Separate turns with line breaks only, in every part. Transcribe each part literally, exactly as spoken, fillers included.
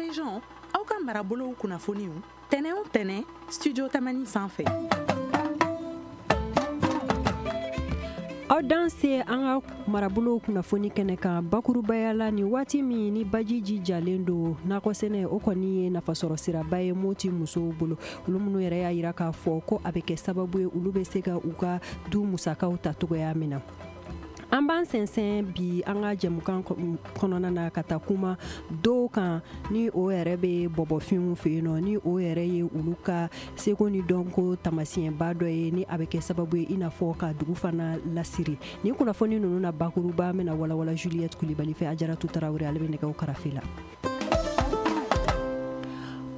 Région, aw ka marabolow kunnafoniw tɛnɛ o tɛnɛ Studio Tamani sanfɛ.
Aw danse an ka marabolow kunnafoni kɛnɛ kan bakurubaya la ni waati min ni baji ji jalen don nakɔsɛnɛ o kɔni ye nafasɔrɔ siraba ye Moti musow bolo, olu minnu yɛrɛ y'a yira k'a fɔ ko a bɛ kɛ sababu ye olu bɛ se ka u ka du musakaw ta cogoya min na. An b'an sɛnsɛn bi an ka jɛmukan kɔnɔna na ka taa kuma dɔw kan ni o yɛrɛ bɛ bɔbɔfinw fɛ yen nɔ, ni o yɛrɛ ye olu ka seko ni dɔnko taamasiyɛnba dɔ ye ni a bɛ kɛ sababu ye i n'a fɔ ka dugu fana lasiri. Nin kunnafoni ninnu na bakuruba bɛna walawala Juliette Kulibali fɛ, Ajaratu Tarawele ale bɛ nɛgɛw karafe la.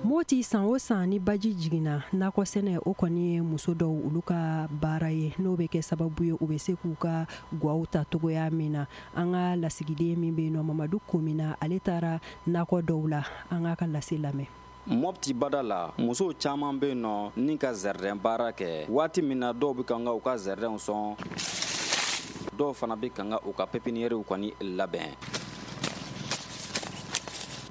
Moti san o san ni baji jiginna nakɔ sɛnɛ o kɔni ye muso dɔw olu ka baara ye n'o bɛ kɛ sababu ye u bɛ se k'u ka gwaw ta cogoya min na. An ka lasigiden min bɛ yen nɔ Mamadu Komina, ale taara nakɔ dɔw la, an k'a ka lase lamɛn.
Mopti bada la, musow caman bɛ yen nɔ ni ka zɛrɛn baara kɛ waati min na dɔw bɛ kan ka u ka zɛrɛnw sɔn, dɔw fana bɛ kan ka u ka pépinièrew kɔni labɛn.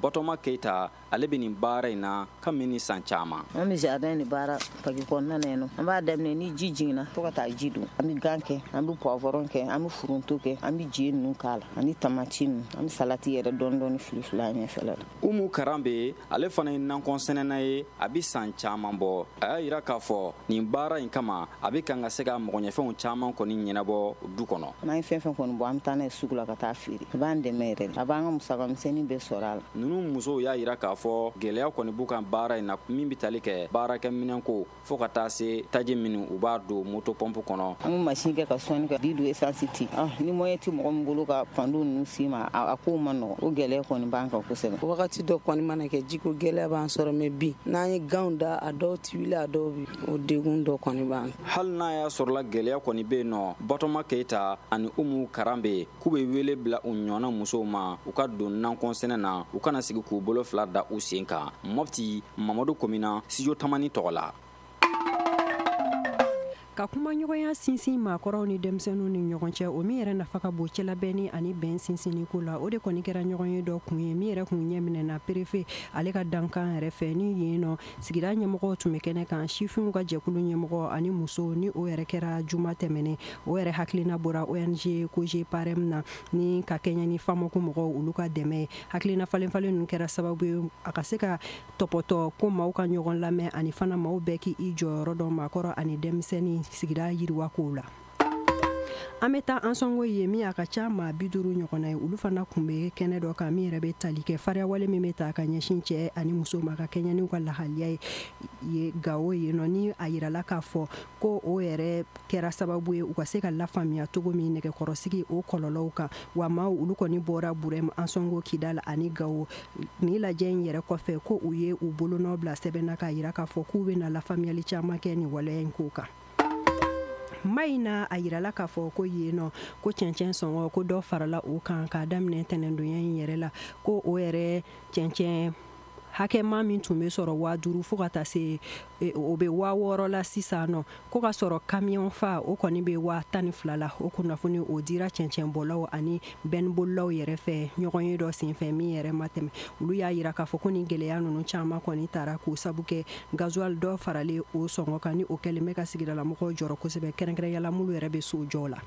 Batoma Keita ale bɛ nin baara in na kabini san caman.
An bɛ jardin de baara paki kɔnɔna na yen nɔ. An b'a daminɛ ni ji jiginna fo ka taa ji don. An bɛ gan kɛ, an bɛ poivron kɛ, an bɛ foronto kɛ, an bɛ je ninnu k'a la ani tamati ninnu, an bɛ salati yɛrɛ dɔɔni dɔɔni fili fili a ɲɛfɛla la.
Umu Karanbe ale fana ye nakɔ sɛnɛna ye, a bɛ san caman bɔ. A y'a jira k'a fɔ nin baara in kama a bɛ kan ka se ka mɔgɔɲɛfɛnw caman kɔni ɲɛnabɔ du kɔnɔ.
N'an ye fɛn fɛn kɔni bɔ, an bɛ taa n'a ye sugu la ka taa feere. A b'an dɛmɛ yɛrɛ de, a b'an ka musaka misɛnnin bɛɛ sɔrɔ a la.
Ninnu musow y'a jira k'a fɔ gɛlɛya kɔni b'u kan baara in na min bɛ tali kɛ baarakɛminɛn ko fo ka taa se taji minnu u b'a don moto pɔnpu kɔnɔ.
An bɛ machine kɛ ka sɔnni kɛ, di don essence ti. Ah, ni moyen tɛ mɔgɔ min bolo ka panneau ninnu s'i ma, a kow ma nɔgɔn. O gɛlɛya kɔni b'an kan kosɛbɛ.
Wagati dɔ kɔni mana kɛ jiko gɛlɛya b'an sɔrɔ, mais bi n'an ye ganw da a dɔw ti wuli, a dɔw bi o degun dɔ kɔni b'an.
Hali n'a y'a sɔrɔla gɛlɛya kɔni bɛ yen nɔ, Batoma Keita ani Umu Karanbe k'u bɛ wele bila u ɲɔgɔnna musow ma u ka don nakɔ sɛnɛ na, u kana sigi k'u bolo fila da u sen kan. Mopti, Mamadu Komina, Studio Tamani tɔgɔ la.
Ka kumaɲɔgɔnya sinsin maakɔrɔw ni denmisɛnninw ni ɲɔgɔn cɛ, o min yɛrɛ nafa ka bon cɛlabɛnni ani bɛn sinsinni ko la, o de kɔni kɛra ɲɔgɔn ye dɔ kun ye min yɛrɛ kun ɲɛ minɛna préfet ale ka dankan yɛrɛ fɛ. Ni yen nɔ sigida ɲɛmɔgɔw tun bɛ kɛnɛ kan, sifinw ka jɛkulu ɲɛmɔgɔ ani musow, ni o yɛrɛ kɛra juma tɛmɛnen. O yɛrɛ hakilina bɔra O N G Cogeparem na ni ka kɛɲɛ ni FAMOC mɔgɔw olu ka dɛmɛ ye. Hakilina falen falen ninnu kɛra sababu ye a ka se ka tɔpɔtɔ ko maaw ka ɲɔgɔn lamɛn ani fana maaw bɛɛ k'i jɔyɔrɔ dɔn maakɔrɔ ani denmisɛnnin sigida yiriwa kow la. An bɛ taa Ansɔngo ye min a ka ca maa bi duuru ɲɔgɔnna ye, olu fana tun bɛ kɛnɛ dɔ kan min yɛrɛ bɛ tali kɛ fariyawale min bɛ ta ka ɲɛsin cɛ ani muso ma ka kɛɲɛ n'u ka lahaliya ye Gawo yen nɔ. Ni a yirala k'a fɔ ko o yɛrɛ kɛra sababu ye u ka se ka lafaamuya cogo min nɛgɛkɔrɔsigi o kɔlɔlɔw kan. Wa maaw olu kɔni bɔra Burɛm, Ansɔngo, Kidal ani Gawo. Nin lajɛ in yɛrɛ kɔfɛ ko u ye u bolonɔ bila sɛbɛn na k'a yira k'a fɔ k'u bɛna lafaamuyali caman kɛ nin waleya in ko kan. Mayina a yirala k'a fɔ ko yen nɔ ko cɛncɛn sɔngɔ ko dɔ farala o kan k'a daminɛ tɛnɛndonya in yɛrɛ la, ko o yɛrɛ cɛncɛn hakɛma min tun bɛ sɔrɔ waa duuru fo ka taa se o bɛ waa wɔɔrɔ la sisan nɔ, ko ka sɔrɔ camion fa o kɔni bɛ waa tan ni fila la. O kunnafoni o dira cɛncɛnbɔlaw ani bɛnbolilaw yɛrɛ fɛ ɲɔgɔn ye dɔ senfɛ min yɛrɛ ma tɛmɛ. Olu y'a yira k'a fɔ ko nin gɛlɛya ninnu caman kɔni taara k'o sabu kɛ gasoil dɔ faralen o sɔngɔ kan, ni o kɛlen bɛ ka sigidalamɔgɔw jɔrɔ kosɛbɛ, kɛrɛnkɛrɛnyala minnu yɛrɛ bɛ so jɔ la.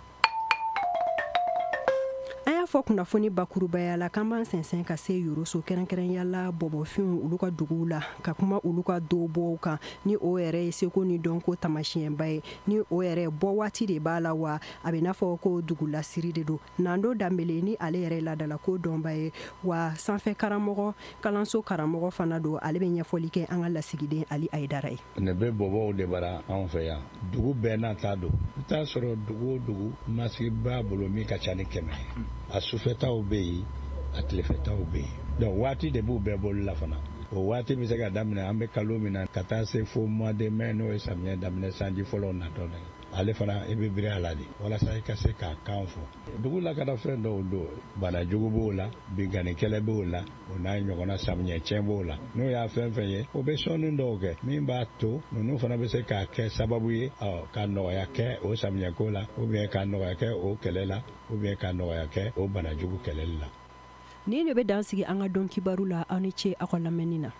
An y'a fɔ kunnafoni bakurubaya la k'an b'an sɛnsɛn ka se Yoroso, kɛrɛnkɛrɛnyala bɔbɔfinw olu ka duguw la, ka kuma olu ka dobɔw kan ni o yɛrɛ ye seko ni dɔnko taamasiyɛnba ye, ni o yɛrɛ bɔ waati de b'a la, wa a bɛ n'a fɔ ko dugu lasiri de don. Nando Danbele ni ale yɛrɛ laadala ko dɔnba ye, wa sanfɛ karamɔgɔ kalanso karamɔgɔ fana don, ale bɛ ɲɛfɔli kɛ an ka lasigiden Ali Ayidara ye.
Ne bɛ bɔbɔw de bara anw fɛ yan, dugu bɛɛ n'a ta don. I t'a sɔrɔ dugu o dugu masigi b'a bolo min ka ca ni kɛmɛ ye. A sufɛtaw bɛ yen, a tilefɛtaw bɛ yen. Donc waati de b'u bɛɛ bolo la fana. O waati bɛ se ka daminɛ an bɛ kalo min na ka taa se fo mois de mai, n'o ye samiyɛ daminɛ sanji fɔlɔw natɔ ye. Ale fana i bɛ biri a la de walasa i ka se k'a kan fɔ. Dugu lakanafɛn dɔw don, bana jugu b'o la, binkanni kɛlɛ b'o la, o n'a ɲɔgɔnna samiyɛ tiɲɛ b'o la. N'o y'a fɛn fɛn ye, o bɛ sɔnni dɔw kɛ min b'a to ninnu fana bɛ se k'a kɛ sababu ye ka nɔgɔya kɛ o samiyɛko la, ou bien ka nɔgɔya kɛ o kɛlɛ la, ou bien ka nɔgɔya kɛ o bana jugu kɛlɛli la.
Nin de bɛ dan sigi an ka don kibaru la. Aw ni ce aw ka lamɛnni na.